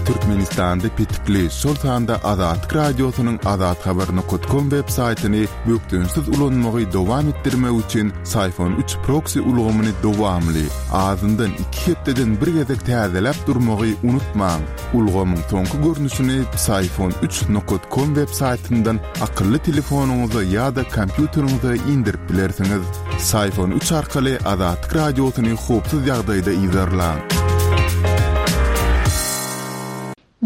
Türkmenistanda petikli, şol sanda Azatlyk Radiosynyň azathabar nokat kom web saýtyny bökdençsiz ulanmagy dowam etdirmek üçin Syfon üç proksi ulgamyny dowamly, azyndan iki hepdeden bir gezek täzeläp durmagy unutmaň. Ulgamyň soňky görnüşini Psiphon üç nokat kom web saýtyndan akylly telefonyňyza ýa-da kompýuteriňize indirip bilersiňiz. Psiphon üç arkaly Azatlyk Radiosyny howpsuz ýagdaýda yzarlaň.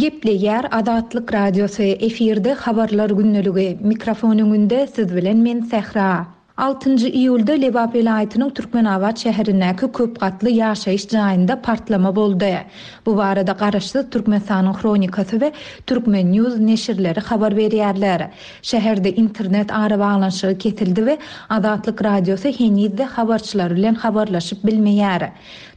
Gepleýär Azatlyk Radiosy, efirde Habarlar gündeligi, mikrofon öňünde siz bilen men Sähra. Altynjy iýulda Lebap welaýatynyň Türkmenabat şäherindäki köp gatly ýaşaýyş jaýynda partlama boldy. Bu barada garaşsyz Türkmenistanyň Hronikasy we Turkmen. News neşirleri habar berýärler. Şäherde internet arabaglanyşygy kesildi we Azatlyk Radiosy heniz-de habarçylar bilen habarlaşyp bilmeýär.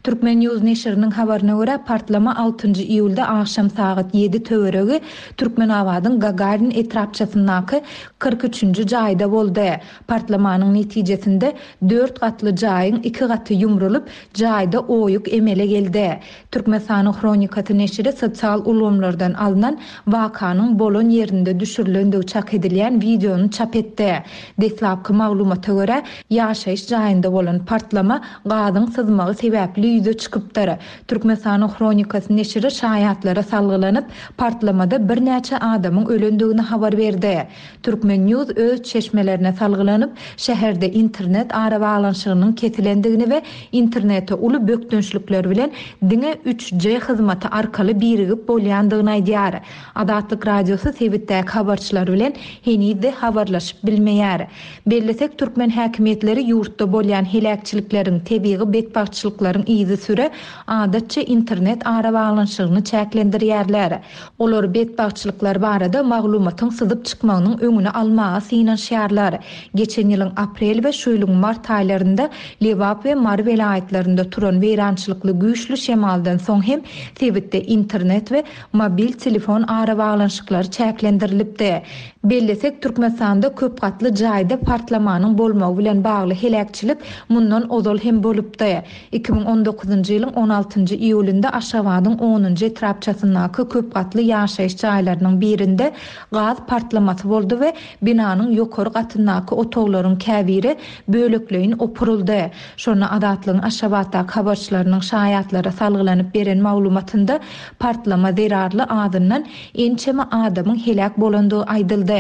Turkmen. News neşiriniň habaryna görä, partlama altynjy iýulda agşam sagat ýedi töweregi Türkmenabadyň Gagarin etrapçasyndaky 43-nji jaýda boldy. Partlamanyň netijesinde dört gatly jaýyň iki gaty ýumrulyp, jaýda oýuk emele geldi. Türkmenistanyň Hronikasy neşiri sosial ulgamlardan alnan wakanyň bolan ýerinde düşürilendigi çak edilýän wideony çap etdi. Deslapky maglumata görä, ýaşaýyş jaýynda bolan partlama gazyň syzmagy sebäpli ýüze çykypdyr. Türkmenistanyň Hronikasy neşiri şaýatlara salgylanyp, partlamada birnäçe adamyň ölendigini habar berdi. Turkmen. News öz çeşmelerine salgylanyp, şäherde internet arabaglanyşygynyň kesilendigini we internete uly bökdençlikler bilen diňe üç G hyzmaty arkaly birigip bolýandygyny aýdýar. Azatlyk Radiosy sebitdäki habarçylar bilen heniz-de habarlaşyp bilmeýär. Bellesek, türkmen häkimiýetleri ýurtda bolýan heläkçilikleriň, tebigy betbagtçylyklaryň yzysüre adatça internet arabaglanyşygyny çäklendirýärler. Olar betbagtçylyklar barada maglumatyň syzyp çykmagynyň öňüni almaga synanyşýarlar. Geçen ýylyň aprel we şu ýylyň mart aýlarynda Lebap we Mary welaýatlarynda turan weýrançylykly güýçli şemaldan soň hem sebitde internet we mobil telefon arabaglanyşyklary çäklendirilipdi. Bellesek, Türkmenistanda köp gatly jaýda partlamanyň bolmagy bilen bagly heläkçilik mundan ozal hem bolupdy. 2019-njy ýylyň on altynjy iýulynda Aşgabadyň onunjy etrapçasyndaky köp gatly ýaşaýyş jaýlarynyň birinde gaz partlamasy boldy we binanyň ýokary gatyndaky otaglaryň käbiri bölekleýin opuryldy. Şonda Azatlygyň Aşgabatdaky habarçylarynyň şaýatlara salgylanyp beren maglumatynda partlama zerarly azyndan ençeme adamyň heläk bolandygy aýdyldy.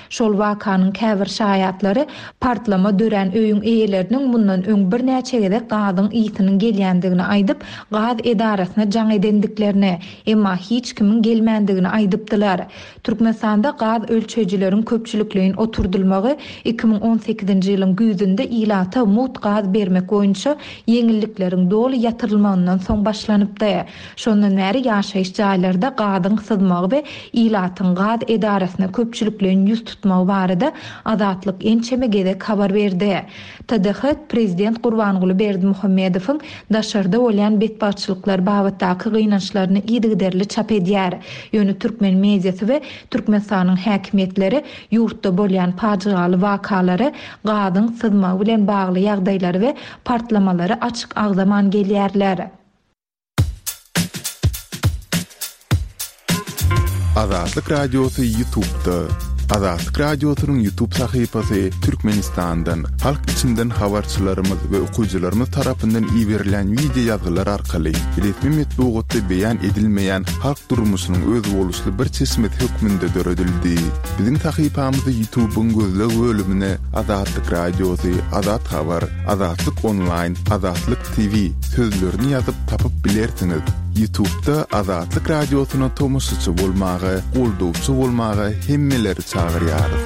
Şol wakanyň käbir şaýatlary partlama dörän öýüň eýeleriniň mundan öň birnäçe gezek gazyň ysynyň gelýändigini aýdyp, gaz edarasyna jaň edendiklerini, emma hiç kimiň gelmändigini aýdypdylar. Türkmenistanda gaz ölçeýjileriň köpçülikleýin oturdylmagy 2018-nji ýylyň güýzünde ilata mugt gaz bermek boýunça ýeňillikleriň doly ýatyrylmagyndan soň başlanypdy. Şondan bäri ýaşaýyş jaýlarda gazyň syzmagy we ilatyň gaz edarasyna köpçülikleýin ýüz tutmagy barada Azatlyk ençeme gezek habar berdi. TDH prezident Gurbanguly Berdimuhamedowyň daşarda bolýan betbagtçylyklar babatdaky gynançlaryny yzygiderli çap edýär. Ýöne türkmen mediasy we Türkmenistanyň häkimiýetleri ýurtda bolýan pajygaly wakalary, gazyň syzmagy bilen bagly ýagdaýlary we partlamalary açyk agzaman gelýärler. Azatlyk Radiosy Ýutubda. Azatlyk Radiosynyň Ýutub sahypasy Türkmenistandan, halk içinden habarçylarymyz we okyjylarymyz tarapyndan iberilýän wideo ýazgylar arkaly resmi metbugatda beýan edilmeýän halk durmuşynyň özboluşly bir çeşmesi hökmünde döredildi. Biziň sahypamyzy Ýutubyň gözleg bölümine Azatlyk Radiosy, Azat Habar, Azatlyk Onlaýn, Azatlyk TV sözlerini ýazyp tapyp bilersiňiz. Ýutubda Azatlyk Radiosyna tomaşaçy bolmaga, goldawçy bolmaga hemmeleri çagyrýarys.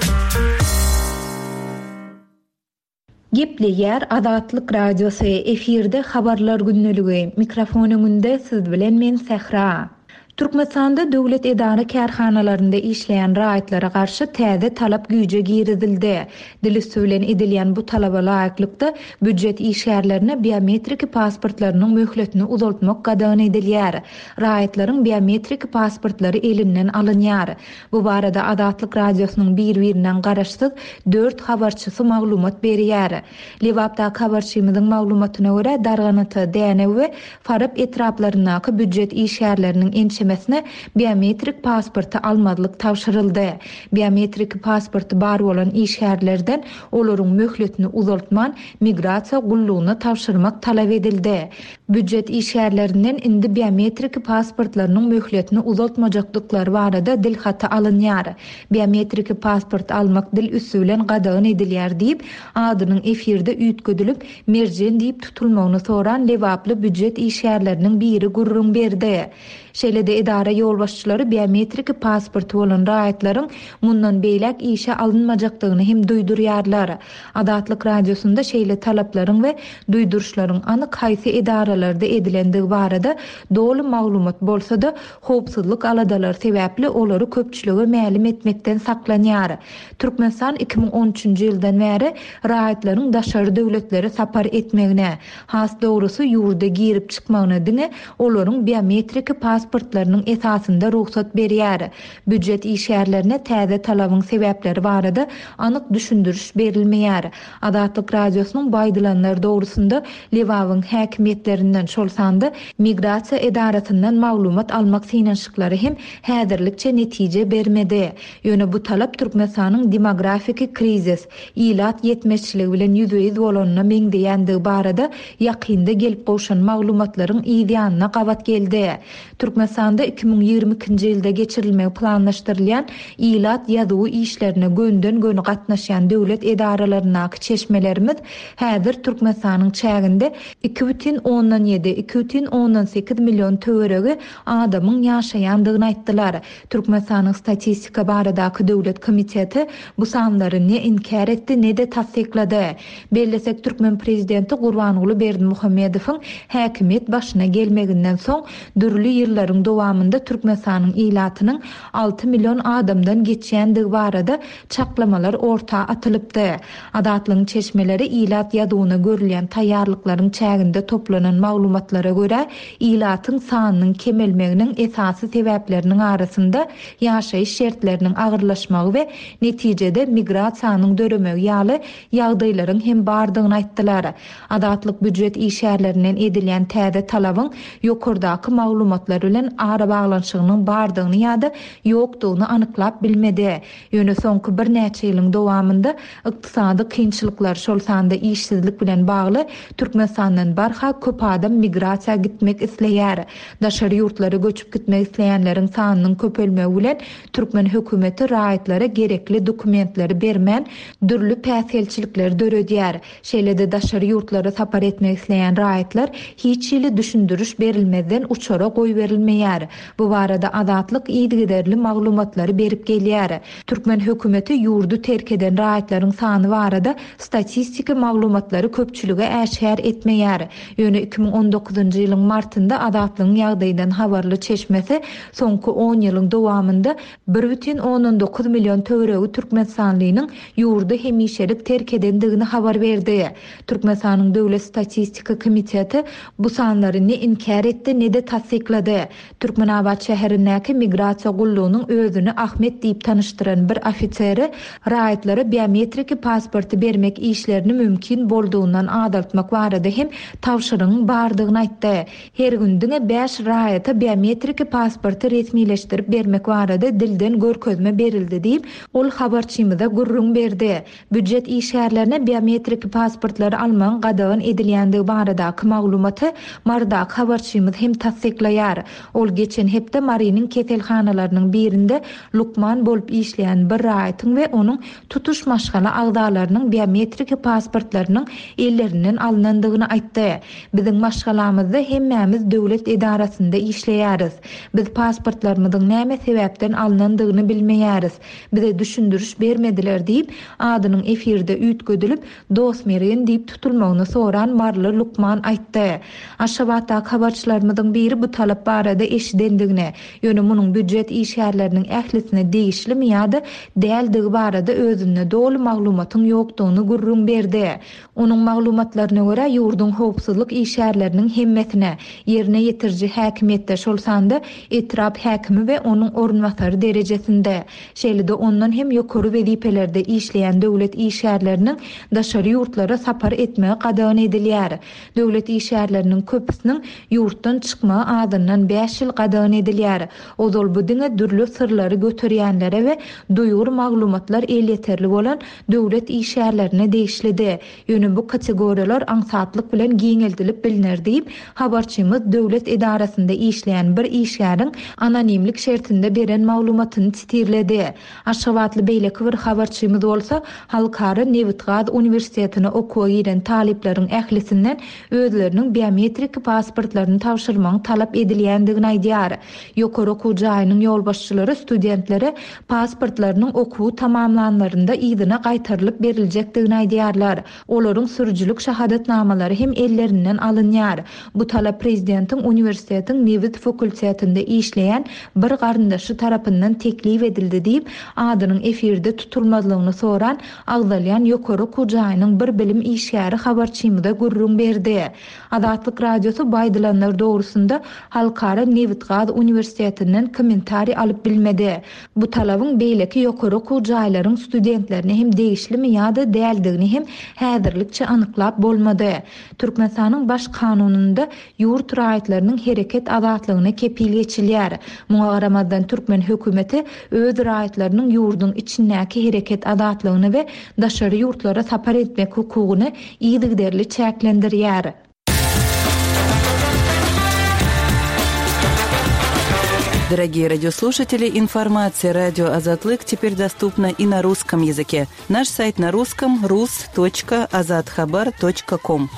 Gepleýär Azatlyk Radiosy, efirde Habarlar gündeligi, mikrofon öňünde siz bilen men Sähra. Türkmenistanda döwlet edara-kärhanalarynda işleýän raýatlara garşy täze talap güýje girizildi. Dil üsti bilen edilýän bu talaba laýyklykda, býujet işgärlerine biometriki pasportlarynyň möhletini uzaltmak gadagan edilýär. Raýatlaryň biometriki pasportlary elinden alynýar. Bu barada Azatlyk Radiosynyň bir-birinden garaşsyz dört habarçysy maglumat berýär. Lebapdaky habarçymyzyň maglumatyna görä, Darganata, Dänew we Farap etraplaryndaky býujet işgärleriniň ençemesi. hemmesine biometrik pasporty almazlyk tabşyryldy. Biometrik pasporty bar bolan işgärlerden olaryň möhletini uzaltman, migrasiýa gullugyna tabşyrmak talap edildi. Býujet işgärlerinden indi biometrik pasportlarynyň möhletini uzaltmajakdyklary barada dil haty alynýar. Biometrik pasport almak dil üsti bilen gadagan edilýär diýip, adynyň efirde üýtgedilip, Merjen diýip tutulmagyny soran lebaply býujet işgärleriniň biri gürrüň berdi. Şeýle-de edara ýolbaşçylary biometrik pasporty bolan raýatlaryň mundan beýläk işe alynmajakdygyny hem duýdurýarlar. Azatlyk Radiosynda şeýle talaplaryň we duýduryşlaryň anyk haýsy edaralarda edilendigi barada doly maglumat bolsa-da, howpsuzlyk aladalary sebäpli olary köpçülige mälim etmekden saklanýar. Türkmenistan 2013-nji ýyldan bäri raýatlaryň daşary döwletlere sapar etmegine, has dogrusy ýurda girip-çykmagyna diňe olaryň biometrik pasportlarynyň esasynda rugsat berýär. Býujet işgärlerine täze talabyň sebäpleri barada anyk düşündiriş berilmeýär. Azatlyk Radiosynyň bu aýdylanlar dogrusynda Lebabyň häkimiýetlerinden, şol sanda migrasiýa edarasyndan maglumat almak synanyşyklary hem häzirlikçe netije bermedi. Ýöne bu talap Türkmenistanyň demografiki krizis, ilat ýetmezçiligi bilen ýüzbe-ýüz bolanyna meňzeýändigi barada ýakynda gelip gowşan maglumatlaryň yz ýanyna gabat geldi. Türkmenistanda 2022-nji ýylda geçirilmegi planlaşdyrylýan ilat ýazuwy işlerine gönden-göni gatnaşýan döwlet edaralaryndaky çeşmelerimiz häzir Türkmenistanyň çäginde 2,7, 2,8 million töweregi adamyň ýaşaýandygyny aýtdylar. Türkmenistanyň Statistika baradaky döwlet komiteti bu sanlary ne inkär etdi, ne-de tassyklady. Bellesek, türkmen prezidenti Gurbanguly Berdimuhamedowyň häkimiýet başyna gelmeginden soň, dürli ýyllaryň dowamynda Türkmenistanyň ilatynyň 6 million adamdan geçýändigi barada çaklamalar orta atylypdy. Azatlygyň çeşmeleri ilat ýazuwyna görülýän taýýarlyklaryň çäginde toplanan maglumatlara görä, ilatyň sanynyň kemelmeginiň esasy sebäpleriniň arasynda ýaşaýyş şertleriniň agyrlaşmagy we netijede migrasiýanyň döremegi ýaly ýagdaýlaryň hem bardygyny aýtdylar. Azatlyk býujet işgärlerinden edilýän täze talabyň ýokardaky maglumatlar bilen arabaglanyşygynyň bardygyny ýa-da ýokdugyny anyklap bilmedi. Ýöne soňky birnäçe ýylyň dowamynda ykdysady kynçylyklar, şol sanda işsizlik bilen bagly Türkmenistandan barha köp adam migrasiýa gitmek isleýär. Daşary ýurtlara göçüp gitmek isleýänleriň sanynyň köpelmegi bilen türkmen hökümeti raýatlara gerekli dokumentleri bermän, dürli päsgelçilikleri döredýär. Şeýle-de daşary ýurtlara sapar etmek isleýän raýatlar hiç hili düşündiriş berilmezden uçara goýberilmeýär. Bu barada Azatlyk yzygiderli maglumatlary berip gelýär. Türkmen hökümeti ýurdy terk eden raýatlaryň sany barada statistiki maglumatlary köpçülige äşgär etmeýär. Ýöne 2019-njy ýylyň martynda Azatlygyň ýagdaýdan habarly çeşmesi soňky on ýylyň dowamynda 1,9 million töweregi türkmenistanlynyň ýurdy hemişelik terk edendigini habar berdi. Türkmenistanyň Döwlet statistika komiteti bu sanlary ne inkär etdi, ne-de tassyklady. Türkmenabat şäherindäki migrasiýa gullugynyň özüni Ahmet diýip tanyşdyran bir ofiseri raýatlara biometriki pasporty bermek işlerini mümkin boldugyndan azaltmak barada hem tabşyrygyň bardygyny aýtdy. Her gün diňe bäş raýata biometriki pasporty resmileşdirip bermek barada dilden görkezme berildi diýip, ol habarçymyza gürrüň berdi. Býujet işgärlerine biometriki pasportlary almagyň gadagan edilýändigi baradaky maglumaty Marydaky habarçymyz hem tassyklaýar. Ol geçen hepde Marynyň keselhanalarynyň birinde lukman bolup işleýän bir raýatyň we onuň tutuş maşgala agzalarynyň biometriki pasportlarynyň ellerinden alnandygyny aýtdy. Biziň maşgalamyzda hemmämiz döwlet edarasynda işleýäris. Biz pasportlarymyzyň näme sebäpden alnandygyny bilmeýäris. Bize düşündiriş bermediler diýip, adynyň efirde üýtgedilip, Dostmergen diýip tutulmagyny soran maryly lukman aýtdy. Aşgabatdaky habarçylarymyzyň biri bu talap barada eşidendigini, ýöne munuň býujet işgärleriniň ählisine degişlimi ýa-da däldigi barada özünde doly maglumatyň ýokdugyny gürrüň berdi. Onuň maglumatlaryna görä, ýurduň howpsuzlyk işgärleriniň hemmesine, ýerine ýetiriji häkimiýetde, şol sanda etrap häkimi we onuň orunbasary derejesinde, şeýle-de ondan hem ýokary wezipelerde işleýän döwlet işgärleriniň daşary ýurtlara sapar etmegi gadagan edilýär. Döwlet işgärleriniň köpüsiniň ýurtdan çykmagy azyndan bäş ýyl. ýyl gadagan edilýär. Ozal bu diňe dürli syrlary göterýänlere we duýgur maglumatlar elýeterli bolan döwlet işgärlerine degişlidi. Ýöne bu kategoriýalar aňsatlyk bilen giňeldilip bilner diýip, habarçymyz döwlet edarasynda işleýän bir işgäriň anonimlik şertinde beren maglumatyny sitirledi. Aşgabatly beýleki bir habarçymyz bolsa, Halkara nebitgaz uniwersitetine okuwa giren talyplaryň ählisinden özleriniň biometrik pasportlaryny tabşyrmagyň talap edilýändigini aýdýar. Ýokary okuw jaýynyň ýolbaşçylary studentlere pasportlarynyň okuwy tamamlanlarynda yzyna gaýtarylyp beriljekdigini aýdýarlar. Olaryň sürüjilik şahadatnamalary hem ellerinden alynýar. Bu talap prezidentiň uniwersitetiň nebit fakultetinde işleýän bir garyndaşy tarapyndan teklip edildi diýip, adynyň efirde tutulmazlygyny soran agzalýan ýokary okuw jaýynyň bir bilim işgäri habarçymyza gürrüň berdi. Azatlyk Radiosy bu aýdylanlar dogrusynda Halkara nebit-gaz uniwersitetinden kommentariý alyp bilmedi. Bu talabyň beýleki ýokary okuw jaýlaryň studentlerine hem degişlimi ýa-da däldigini hem häzirlikçe anyklap bolmady. Türkmenistanyň Baş Kanunynda ýurt raýatlarynyň hereket azatlygyna kepil geçilýär. Muňa garamazdan türkmen hökümeti öz raýatlarynyň ýurduň içindäki hereket azatlygyny we daşary ýurtlara sapar etmek hukugyny yzygiderli çäklendirýär. Дорогие радиослушатели, информация радио Азатлык теперь доступна и на русском языке. Наш сайт на русском rus.azathabar.com.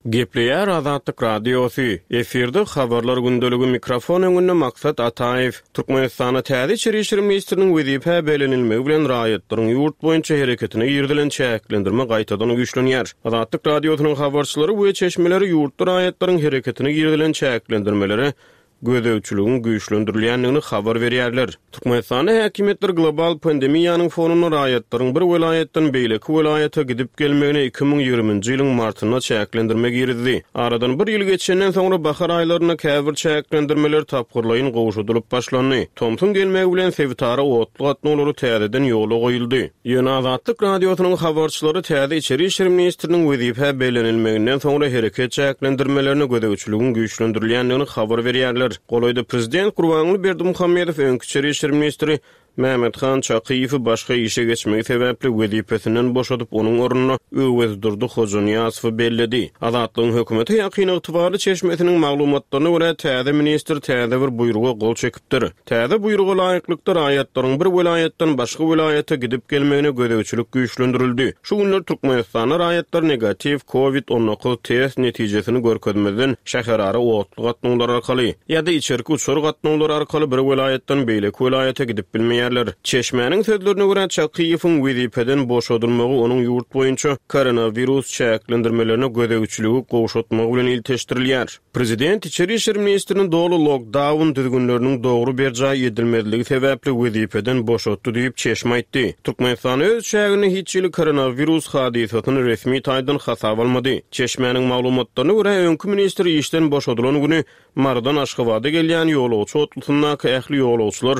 Gepleýär Azatlyk Radiosy, efirde Habarlar gündeligi mikrofon öňünde Maksat Ataýew. Türkmenistanda täze içeri işler ministriniň wezipä bellenilmegi bilen raýatlaryň ýurt boýunça hereketine girizilen çäklendirme gaýtadan güýçlenýär. Azatlyk Radiosynyň habarçylary we çeşmeleri ýurtda raýatlaryň hereketine girizilen çäklendirmelere gözegçiligiň güýçlendirilýändigini habar berýärler. Türkmenistanda häkimiýetler global pandemiýanyň fonunda raýatlaryň bir welaýatdan beýleki welaýata gidip-gelmegine 2020-nji ýylyň martynda çäklendirme girizdi. Aradan bir ýyl geçenden soňra bahar aýlarynda käbir çäklendirmeler tapgyrlaýyn gowşadylyp başlandy. Tomsuň gelmegi bilen sebitara otly gatnawlary täzeden ýola goýuldy. Ýöne Azatlyk Radiosynyň habarçylary täze içeri işler ministriniň wezipä bellenilmeginden soňra hereket çäklendirmelerine gözegçiligiň güýçlendirilýändigini habar berýärler. Golaýda prezident Gurbanguly Berdimuhamedow öňki içeri işler ministri Mämmethan Çakyýewi başga işe geçmegi sebäpli wezipesinden boşadyp, onuň ornuna Öwezdurdy Hojanyýazowy belledi. Azatlygyň hökümete ýakyn ygtybarly çeşmesiniň maglumatlaryna görä, täze ministr täze bir buýruga gol çekipdir. Täze buýruga laýyklykda, raýatlaryň bir welaýatdan başga welaýata gidip-gelmegine gözegçilik güýçlendirildi. Şu günler Türkmenistanda raýatlar negatiw Covid 19 test netijesini görkezmezden şäherara otly gatnawlary arkaly ýa-da içerki uçar gatnawlary arkaly bir welaýatdan beýleki welaýata gidip bilmeýärler. Çeşmäniň sözlerine görä, Çakyýewiň wezipeden boşadylmagy onuň ýurt boýunça koronawirus çäklendirmelerine gözegçiligi gowşatmagy bilen ilteşdirilýär. Prezident içeri işler ministrini doly lokdaun düzgünleriniň dogry berjaý edilmezligi sebäpli wezipeden boşatdy diýip, çeşme aýtdy. Türkmenistan öz çäginde hiç hili koronawirus hadysasyny resmi taýdan hasaba almady. Çeşmäniň maglumatlaryna görä, öňki ministr işden boşadylan güni Marydan Aşgabada gelýän ýolagçy otlusyndaky ähli ýolagçylar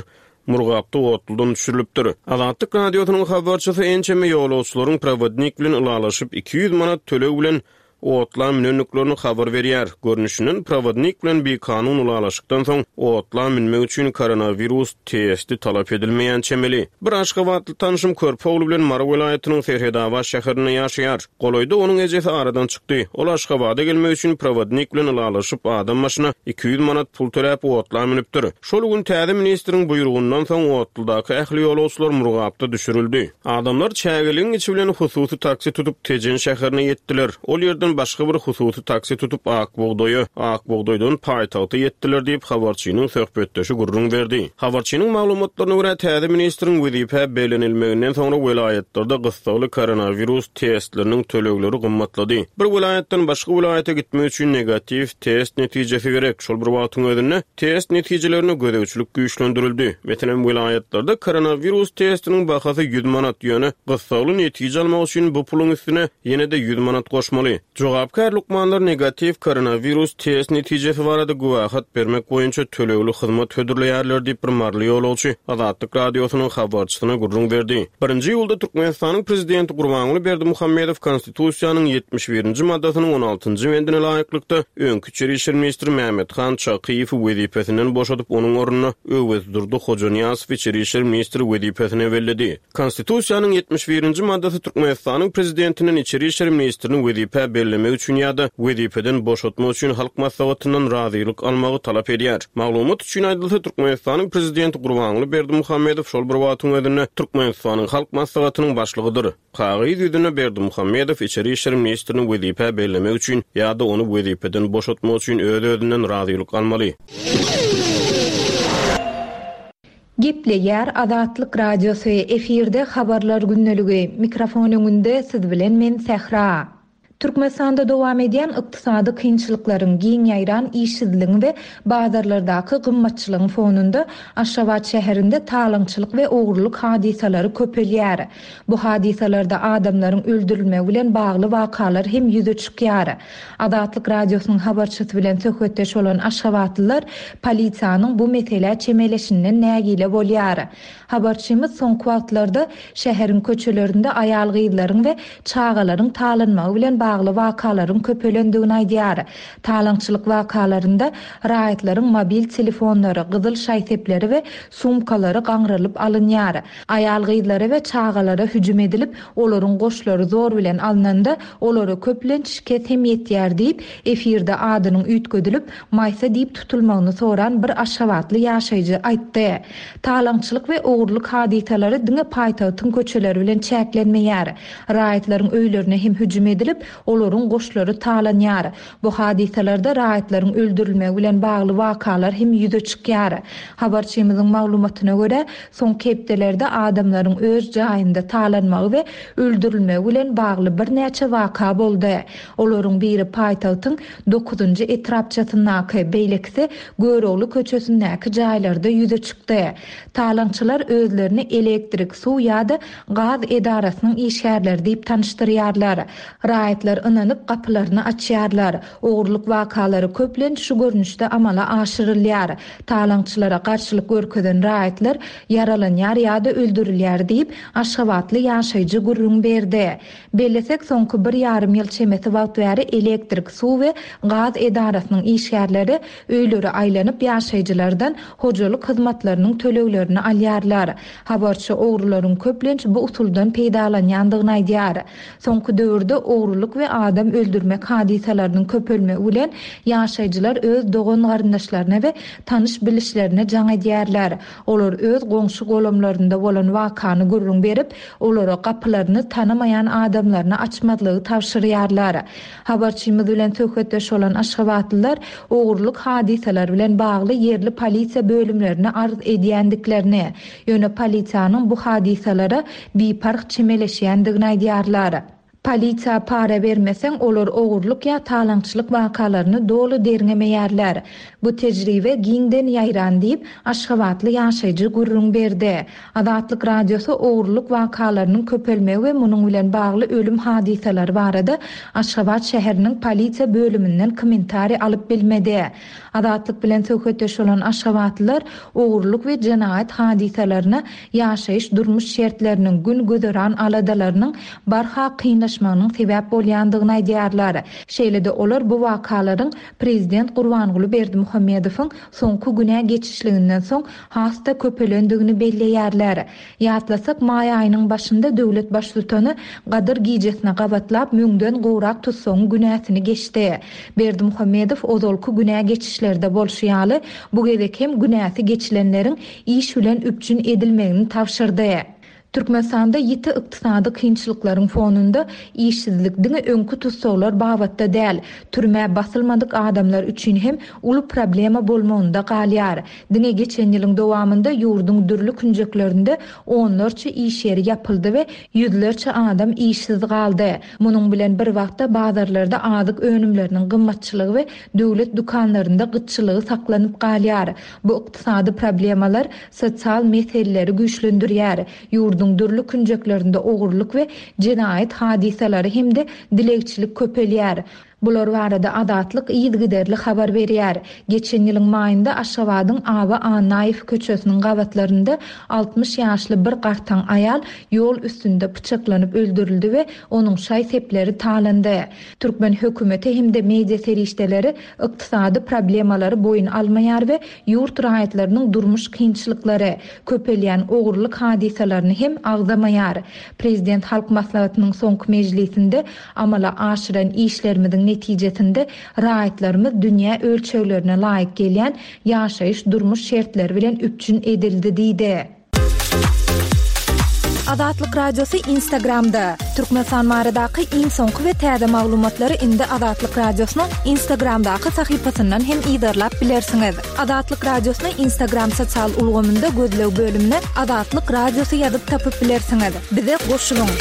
Murgapda otludan düşürilipdir. Azatlyk Radiosynyň habarçysy ençeme ýolagçylaryň prowodnik bilen ylalaşyp, 200 manat töleg bilen otla münendiklerini habar berýär. Görnüşinden, prowodnik bilen bikanun ylalaşykdan soň, otla münmek üçin koronawirus testi talap edilmeýän çemeli. Bir aşgabatly tanşym körpe ogly bilen Mary welaýatynyň Serhedabat şäherinde ýaşaýar. Golaýda onuň ejesi aradan çykdy. Ol Aşgabada gelmek üçin prowodnik bilen ylalaşyp, adam başyna 200 manat pul töläp otla münüpdir. Şol gün täze ministriň buýrugyndan soň otludaky ähli ýolagçylar Murgapda düşürildi. Adamlar çägeligiň içi bilen hususy taksi tutup Tejen şäherine ýetdiler. Ol ýerden başga bir hususy taksi tutup Akbugdaýa, Akbugdaýdan paýtagta ýetdiler diýip, habarçynyň söhbetdeşi gürrüň berdi. Habarçynyň maglumatlaryna görä, täze ministriň wezipä bellenilmeginden soňra welaýatlarda gyssagly koronawirus testleriniň tölegleri gymmatlady. Bir welaýatdan başga welaýata gitmek üçin negatiw test netijesi gerek. Şol bir wagtyň özünde, test netijelerine gözegçilik güýçlendirildi. Meselem, welaýatlarda koronawirus testiniň bahasy 100 manat, ýöne gyssagly netije almak üçin bu puluň üstüne ýene-de 100 manat goşmaly. Jogapkär lukmanlar negatiw koronawirus test netijesi barada güwähat bermek boýunça tölegli hyzmat hödürleýärler diýip, bir maryly ýolagçy Azatlyk Radiosynyň habarçysyna gürrüň berdi. Birinji iýulda Türkmenistanyň Prezidenti Gurbanguly Berdimuhamedow Konstitusiýanyň 71-nji maddasynyň on altynjy bendine laýyklykda, öňki içeri işler ministri Mämmethan Çakyýewi wezipesinden boşadyp, onuň ornuna Öwezdurdy Hojanyýazowy içeri işler ministri wezipesine belledi. Konstitusiýanyň 71-nji maddasy Türkmenistanyň Prezidentinden içeri işler ministrini wezipä bellemek üçin ýa-da wezipeden boşatmak üçin Halk Maslahatyndan razylyk almagy talap edýär. Maglumat üçin aýdylsa, Türkmenistanyň Prezidenti Gurbanguly Berdimuhamedow şol bir wagtyň özünde Türkmenistanyň Halk Maslahatynyň Başlygydyr. Kagyz ýüzünde Berdimuhamedow içeri işler ministrini wezipä bellemek üçin ýa-da ony wezipeden boşatmak üçin öz-özünden razylyk almaly. Gepleýär Azatlyk Radiosy, efirde Habarlar gündeligi, mikrofon öňünde siz bilen men Sähra. Türkmenistanda dowam edýän ykdysady kynçylyklaryň, giň ýaýran işsizligiň we bazarlardaky gymmatçylygyň fonunda Aşgabat şäherinde talaňçylyk we ogurlyk hadysalary köpelýär. Bu hadysalarda adamlaryň öldürilmegi bilen bagly wakalar hem ýüze çykýar. Azatlyk Radiosynyň habarçysy bilen söhbetdeş bolan aşgabatlylar polisiýanyň bu meselä çemeleşinden nägile bolýar. Habarçymyz soňky wagtlarda şäheriň köçelerinde aýal-gyzlaryň we çagalaryň talanmagy bilen bagly wakalaryň köpelendigini aýdýar. Talaňçylyk wakalarynda raýatlaryň mobil telefonlary, gyzyl şaý-sepleri we sumkalary gaňrylyp alynýar. Aýal-gyzlara we çagalara hüjüm edilip, olaryň goşlary zor bilen alnanda, olara köplenç şikes hem ýetýär diýip, efirde adynyň üýtgedilip, Maýsa diýip tutulmagyny soran bir aşgabatly ýaşaýjy aýtdy. Talaňçylyk we ogurlyk hadysalary diňe paýtagtyň köçeleri bilen çäklenmeýär. Raýatlaryň öýlerine hem hüjüm edilip, olaryň goşlary talanýar. Bu hadysalarda raýatlaryň öldürilmegi bilen bagly wakalar hem ýüze çykýar. Habarçymyzyň maglumatyna görä, soňky hepdelerde adamlaryň öz jaýynda talanmagy we öldürilmegi bilen bagly birnäçe waka boldy. Olaryň biri paýtagtyň dokuzynjy etrapçasyndaky, beýlekisi Görogly köçesindäki jaýlarda ýüze çykdy. Talaňçylar özlerini elektrik, suw ýa-da gaz edarasynyň işgärleri diýip tanyşdyrýarlar. Raýatlar ynanyp gapylaryny açýarlar. Ogurlyk wakalary köplenç şu görnüşde amala aşyrylýar. Talaňçylara garşylyk görkezen raýatlar ýaralanýar ýa-da öldürilýär diýip, aşgabatly ýaşaýjy gürrüň berdi. Bellesek, soňky bir ýarym ýyl çemesi wagt bäri elektrik, suw we gaz edarasynyň işgärleri öýlere aýlanyp, ýaşaýjylardan hojalyk hyzmatlarynyň töleglerini alýarlar. Habarçy ogrularyň köplenç bu usuldan peýdalanýandygyny aýdýar. Soňky döwürde ogrulyk we adam öldürmek hadysalarynyň köpelmegi bilen ýaşaýjylar öz dogan-garyndaşlaryna we tanyş-bilişlerine jaň edýärler. Olar öz goňşy-golamlarynda bolan wakany gürrüň berip, olara gapylaryny tanamaýan adamlaryna açmazlygy tabşyrýarlar. Habarçymyz bilen söhbetdeş bolan aşgabatlylar ogurlyk hadysalary bilen bagly ýerli polisiýa bölümlerine arz edýändiklerini, ýöne polisiýanyň bu hadysalara biparh çemeleşýändigini aýdýarlar. Polisiýa para bermeseň, olar ogurlyk ýa talaňçylyk wakalaryny doly derňemeýärler. Bu tejribe giňden ýaýran diýip, aşgabatly ýaşaýjy gürrüň berdi. Azatlyk Radiosy ogurlyk wakalarynyň köpelmegi we munuň bilen bagly ölüm hadysalary barada Aşgabat şäheriniň polisiýa bölüminden kommentariý alyp bilmedi. Azatlyk bilen söhbetdeş bolan aşgabatlylar ogurlyk we jenaýat hadysalaryna ýaşaýyş-durmuş şertleriniň, gün-güzeran aladalarynyň barha kynlaşmagynyň sebäp bolýandygyny aýdýarlar. Şeýle-de olar bu wakalaryň prezident Gurbanguly Berdimuhamedowyň soňky günä geçişliginden soň has-da köpelendigini belleýärler. Ýatlasak, maý aýynyň başynda döwlet baştutany Gadyr gijesine gabatlap müňden gowrak tussagyň günäsini geçdi. Berdimuhamedow ozalky günä geçişlerde bolşy ýaly, bu gezek hem günäsi geçilenleriň iş bilen üpjün edilmegini tabşyrdy. Türkmenistanda ýiti ykdysady kynçylyklaryň fonunda işsizlik diňe öňki tussaglar babatda däl, türmä basylmadyk adamlar üçin hem uly problema bolmagynda galýar. Diňe geçen ýylyň dowamynda ýurduň dürli künjeklerinde onlarça iş ýeri ýapyldy we ýüzlerçe adam işsiz galdy. Munuň bilen bir wagtda bazarlarda azyk önümleriniň gymmatçylygy we döwlet dükanlarynda gytçylygy saklanyp galýar. Bu ykdysady problemalar sosial meseleleri güýçlendirýär. Ýurduň. Ýurduň dürli künjeklerinde ogurlyk we jenaýat hadysalary hem-de dilegçilik köpelýär. Bular barada Azatlyk yzygiderli habar berýär. Geçen ýylyň maýynda Aşgabadyň Aba Annaýew köçesiniň gabatlarynda 60 ýaşly bir gartaň aýal ýol üstünde pyçaklanyp öldürildi we onuň şaý-sepleri talandy. Türkmen hökümeti hem-de media serişdeleri ykdysady problemalary boýun almaýar we ýurt raýatlarynyň durmuş kynçylyklary, köpelýän ogurlyk hadysalaryny hem agzamaýar. Prezident Halk Maslahatynyň soňky mejlisinde Amala aşyran işlerimiziň netijesinde raýatlarymyz dünýä ölçeglerine laýyk gelýän ýaşaýyş-durmuş şertleri bilen üpjün edildi diýdi. Azatlyk Radiosy Instagramda, Türkmenistan baradaky iň soňky we täze maglumatlary indi Azatlyk Radiosynyň Instagramdaky sahypasyndan hem yzarlap bilersiňiz. Azatlyk Radiosyny Instagram sosial ulgamynda gözleg bölümine Azatlyk Radiosy ýazyp tapyp bilersiňiz. Bize goşulyň!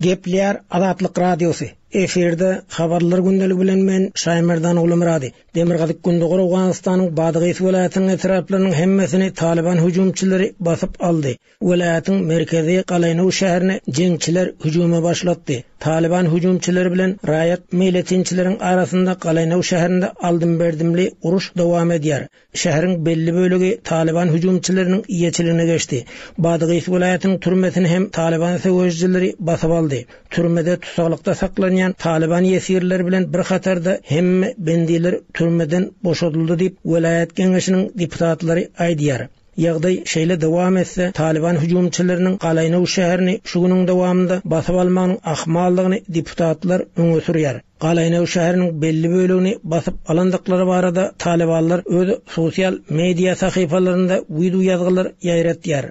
Gepleýär Azatlyk Radiosy, Efirde Habarlar gündeligi bilen men Şaýmerdan Gulumyrady. Demirgazyk-Gündogar Owganystanyň Badgys welaýatynyň etraplarynyň hemmesini Talyban hüjümçileri basyp aldy. Welaýatyň merkezi Galaýnow şäherine jeňçiler hüjümi başlatdy. Talyban hüjümçileri bilen raýat meýletinçileriň arasynda Galaýnow şäherinde aldym-berdimli uruş dowam edýär. Şäheriň belli bölegi Talyban hüjümçileriniň eýeçiligine geçdi. Badgys welaýatynyň türmesini hem Talyban söweşijileri basyp aldy. Türmede tussaglykda saklanýan Talyban ýesirleri bilen bir hatarda hemme bendiler türmeden boşadyldy diýip, welaýat geňeşiniň deputatlary aýdýar. Ýagdaý şeýle dowam etse, Talyban hüjümçileriniň Galaýnow şäherini şu günüň dowamynda basyp almagynyň ahmaldygyny deputatlar öňe sürýär. Galaýnow şäheriniň belli bölegini basyp alandyklary barada talybanlar öz sosial media sahypalarynda wideo ýazgylar ýaýratýar.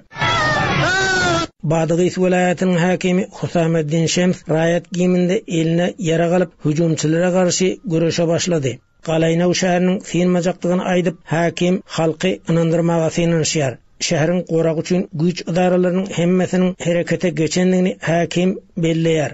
Badgys welaýatynyň häkimi Husameddin Şems raýat geýiminde eline ýarag alyp, hüjümçilere garşy göreşe başlady. Galaýnow şäheriniň synmajakdygyny aýdyp, häkim halky ynandyrmaga synanyşýar. Şäheriň goragy üçin güýç ydaralarynyň hemmesiniň herekete geçendigini häkim belleýär.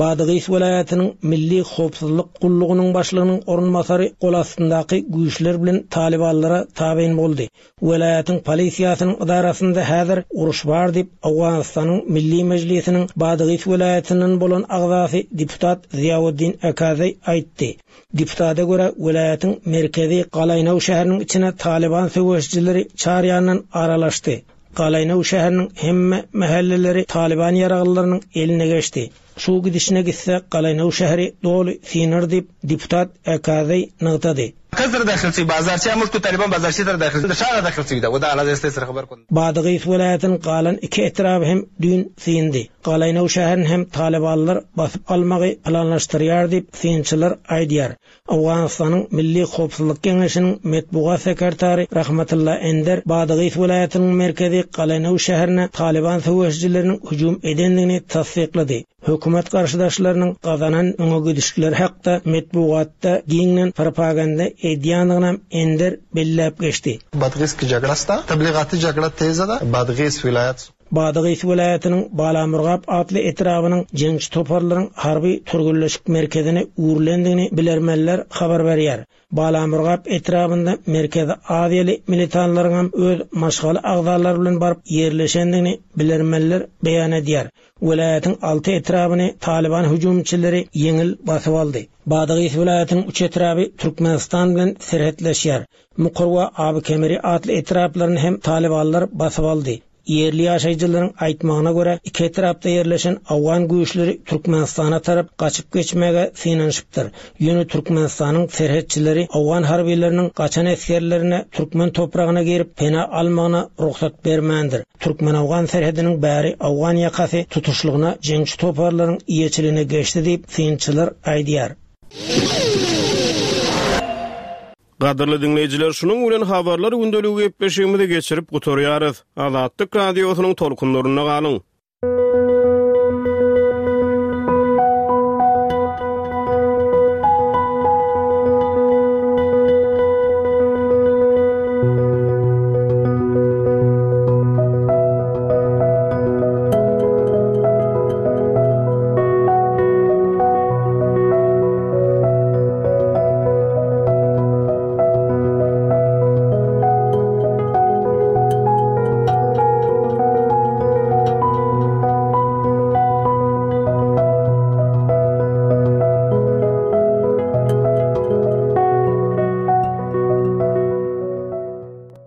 Badgys welaýatynyň Milli howpsuzlyk gullugynyň başlygynyň orunbasary gol astyndaky güýçler bilen talybanlara tabyn boldy. Welaýatyň polisiýasynyň ydarasynda häzir uruş bar diýip, Owganystanyň Milli Mejlisiniň Badgys welaýatyndan bolan agzasy deputat Ziýawuddin Akazeý aýtdy. Deputata görä, welaýatyň merkezi Galaýnow şäheriniň içine Talyban söweşijileri çar ýandan aralaşdy. Galaýnow şäheriniň hemme mähelleleri Talyban ýaraglylarynyň eline geçdi. Şu gidişine gitse, Galaýnow şäheri doly synar diýip, deputat Akazeý nygtady. Badygys welaýatynyň galan iki etraby hem düýn syndy. Galaýnow şäherini hem talybanlar basyp almagy planlaşdyrýar diýip, synçylar aýdýar. Owganystanyň Milli howpsuzlyk geňeşiniň metbugat sekretary Rahmatylla Ender Badygys welaýatynyň merkezi Galaýnow şäherine Talyban söweşijileriniň hüjüm edendigini tassyklady. Hökümet garşydaşlarynyň gazanan öňe gidişlikleri hakda metbugatda giňden propaganda edýändiginem Ender belläp geçdi. Badgys welaýatynyň Balamurgap atly etrabynyň jeňçi toparlaryň harby türgenleşik merkezine öwrülendigini bilermenler habar berýär. Balamurgap etrabynda Merkezi Aziýaly militanlaryňam öz maşgala agzalary bilen baryp ýerleşendigini bilermenler beýan edýär. Welaýatyň alty etrabyny Talyban hüjümçileri ýeňil basyp aldy. Badgys welaýatynyň üç etraby Türkmenistan bilen serhetleşýär. Mukur we Aby-Kemeri atly etraplaryny hem talybanlar basyp aldy. Ýerli ýaşaýjylaryň aýtmagyna görä, iki etrapda ýerleşen owgan güýçleri Türkmenistana tarap gaçyp geçmäge synanyşypdyr. Ýöne Türkmenistanyň serhetçileri owgan harbylarynyň gaçan esgerlerine türkmen topragyna girip pena almagyna rugsat bermändir. Türkmen-owgan serhediniň bäri owgan ýakasy tutuşlygyna jeňçi toparlaryň eýeçiligine geçdi diýip, synçylar aýdýar. Gadyrly diňleýjiler, şunuň bilen Habarlar gündeligi gepleşigimizi geçirip gutarýarys. Azatlyk Radiosynyň tolkunlarynda galyň!